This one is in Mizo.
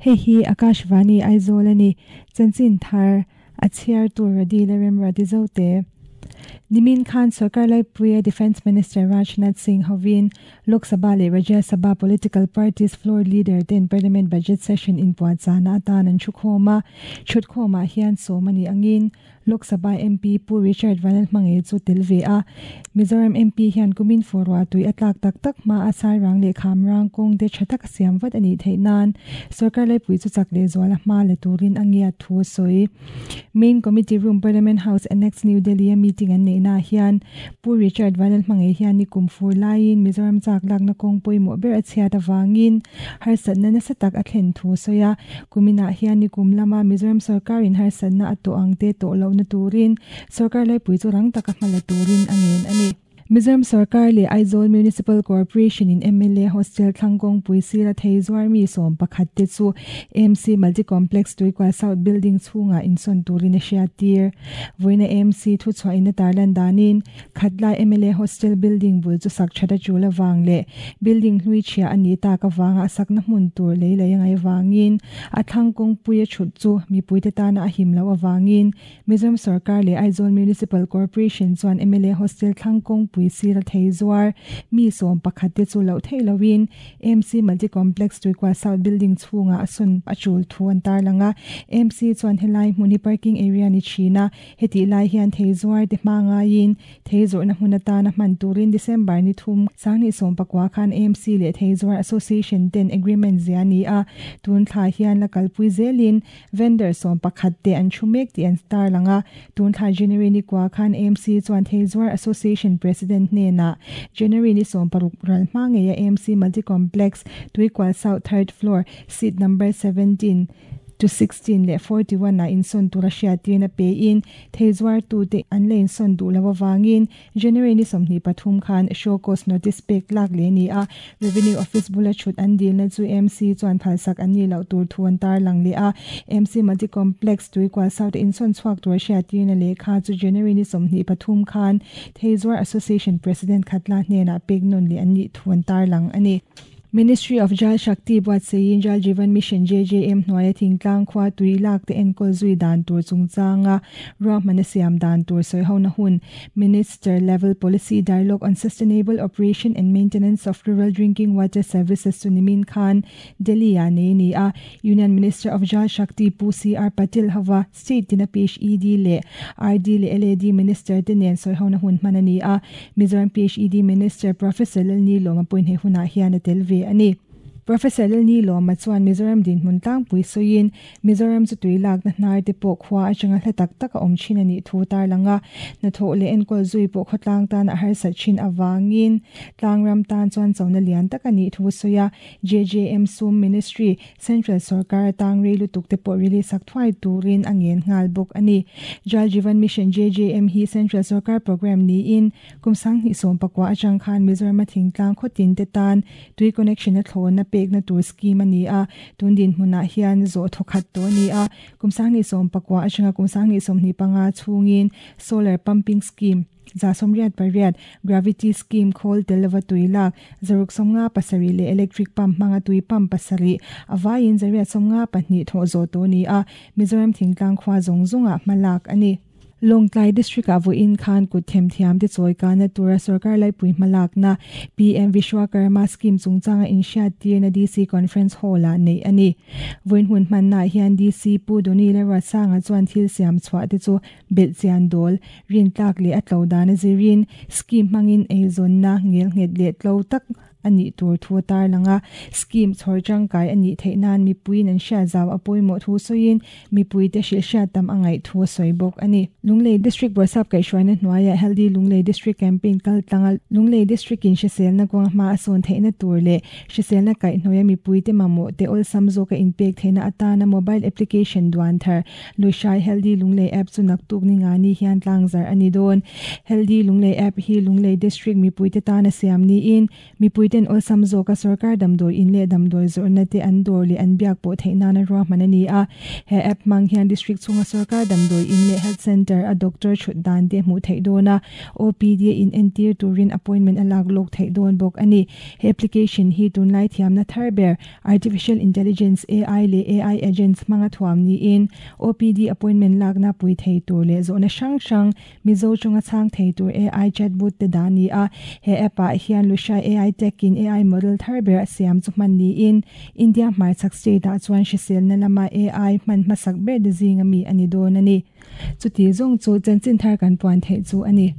Hei hi Akashvani Aizawl a ni. Chanchin thar a chhiartu Radi leh Remruati Zote. Nimin khan Sorkar Laipuia Defence Minister Rajnath Singh hovin Lok Sabha leh Rajya Sabha political parties floor leader ten Parliament Budget Session inpuahchahna atan an thukhawm a. Thutkhawmah hian sawm a nih angin Lok Sabha MP Pu Richard Vanlalhmangei chu tel ve a. Mizoram MP hian kumin fawrua tui a tlak tak tak hma a Sairang leh Khamrang kawng te tha taka siam vat a nih theih nan Sorkar Laipui chu chak leh zual a hma la turin a ngiat thu a sawi. Main Committee Room Parliament House Annex New Delhi a meeting an neih naah hian Pu Richard Vanlalhmangei hian nikum fur laiin Mizoram chak lakna kawng pawimawh ber a chhiat avangin harsatna nasa tak a thlen thu a sawi a. Kuminah hian nikum lama Mizoram sorkarin harsatna a tawh ang te tawh lohna turin sorkar laipui chu rang taka hma la turin a ngen a ni. Mizoram sorkar leh Aizawl Municipal Corporation in mla Hostel thlang kawngpui sira thei zuar mi 11 te chu AMC Multi Complex Tuikual South Building chhungah insawn turin a hriattir. Vawiina AMC thuchhuah in a tarlan danin Khatlai mla Hostel Building bul chu sak that a tul avang leh building hlui chhia a nih tak avanga a sakna hmun tur lei lei a ngaih avangin a thlang kawngpui a thut chu mipuite tana a him loh avangin Mizoram sorkar leh Aizawl Municipal Corporation chuan mla Hostel thlang kawngpui sira thei zuar mi 11 te chu loh theih loin AMC Multi Complex Tuikual South Building chhungah a sawn a tul thu an tarlang a. AMC chuan helai hmun hi parking area ni thin a, Hetih lai hian thei zuar te hma ngaiin thei zawrhna hmun atana hman turin December ni thum sanghnih 19 khan AMC leh Thei Zuar Association ten agreement zia a ni a, tun thla hian la kalpui zelin vendor 11 te an thu mek tih an tarlang a. Tun thla January ni kua khan AMC chuan Thei Zuar Association President hnenah January ni 16 ral hma ngeia AMC Multi Complex Tuikual South Third Floor Seat Number 17 to 16 leh 41 ah insawn tura hriattirna pein thei zuartute an la insawn duh loh avangin January ni 23 khan show cause notice pek tlak leh a ni a. Revenue Office bula thut an dilna chu MC chuan phalsak an nih loh tur thu an tarlang leh a. MC Multi Complex Tuikual South a insawn chhuak tura hriattirna lehkha chu January ni 23 khan Thei Zuar Association President Khatla hnenah pek nawn leh an nih thu an tarlang a ni. Ministry of Jal Shakti buatseiin Jal Jeevan Mission, JJM, hnuaia thingtlang khua tui lak te enkawl zui dan tur chungchanga ruahmana siam dan tur sawihona hun Minister Level Policy Dialogue on Sustainable Operation and Maintenance of Rural Drinking Water Services chu nimin khan Delhi-ah nei a ni a. Union Minister of Jal Shakti Pu CR Patil hova State tina PHED leh RD leh LAD Minister te nen sawihona hun hman a ni a, Mizoram PHED Minister Professor Lalnilawma pawhin he hunah hian a tel ve a ni. Professor Lalnilawma chuan Mizoram dinhmun tlangpui sawiin, Mizoram chu tui lakna hnar te pawh khua atanga hla tak tak a awm thin a nih thu tarlang a, hnathawh leh enkawl zui pawh khawtlang tan a harsat thin avangin tlangram tan chuan chona lian tak a nih thu sawi a, JJM Sum Ministry, Central sorkar atang rei lutuk te pawh release sak thuai turin a ngen nghal bawk a ni. Jal Jeevan Mission, JJM, hi Central sorkar programme niin kum 2019 atang khan Mizoram a thingtlang khawtin te tan tui connection a thlawna pekna tur scheme a ni a, tun dinhmunah hian zawh thawkhat tawh a ni a. Kum 2019 atanga kum 2025 chhungin Solar Pumping Scheme, 188, Gravity Scheme khawl tel lova tui lak, 657 leh Electric Pump hmanga tui pump pasarih, a vaiin 852 thawh zawh tawh a ni a, Mizoram thingtlang khua zawng zawngah hma lak a ni. Lawngtlai District-ah vawiin khan kut themthiamte chawi kahna tura sorkar laipui hma lakna PM Vishwakarma Scheme chungchanga inhriattirna DC Conference Hall-ah neih a ni. Vawiin hun hmannaah hian DC Pu Donny Lalruatsanga chuan thil siam chhuah te chu Belhchian dawl, rintlak leh a tlo dan a zirin scheme hmangin eizawnna ngelnghet leh tlo tak a nih tur thu a tarlang a. Scheme chhawr tangkai a nih theih nan mipuiin an hriat zau a pawimawh thu sawiin mipuite hrilh hriat tam a ngaih thu a sawi bawk a ni. Lunglei District Bawrhsap kaihhruaina hnuaiah Healthy Lunglei District Campaign kal tlanga Lunglei District-in hriselna kawnga hma a sawn theihna tur leh Hriselna kaihhnawia mipuite mamawh te awlsam zawka inpek theihna atana mobile application duan thar Lushai Healthy Lunglei App chu naktuk ni nga ni hian tlangzar a ni dawn. Healthy Lunglei App hi Lunglei District mipuite tana siam niin mipuite Mipui ten awlsam zawka sorkar damdawi in leh damdawi zawrhna te an dawr leh an biak pawh theih nana ruahman a ni a. He app hmang hian district chhunga sorkar damdawi in leh health centre a doctor thut dan te hmuh theih dawn a, OPD a in entir turin appointment a lak lawk theih dawn bawk a ni. He application hi tunlai thiamna thar ber Artificial Intelligence, AI, leh AI agents hmanga thuam niin OPD appointment lakna pui thei tur leh zawhna hrang hrang Mizo chunga chhang thei tur AI chatbot te dah a ni a. He app ah hian Lushai AI Tech in AI model thar ber a siam chu hman niin India hmarchhak state ah chuan hriselna lama AI hman hmasak ber te zinga mi a ni dawn a ni. Chuti zawng chu chanchin thar kan puan theih chu a ni.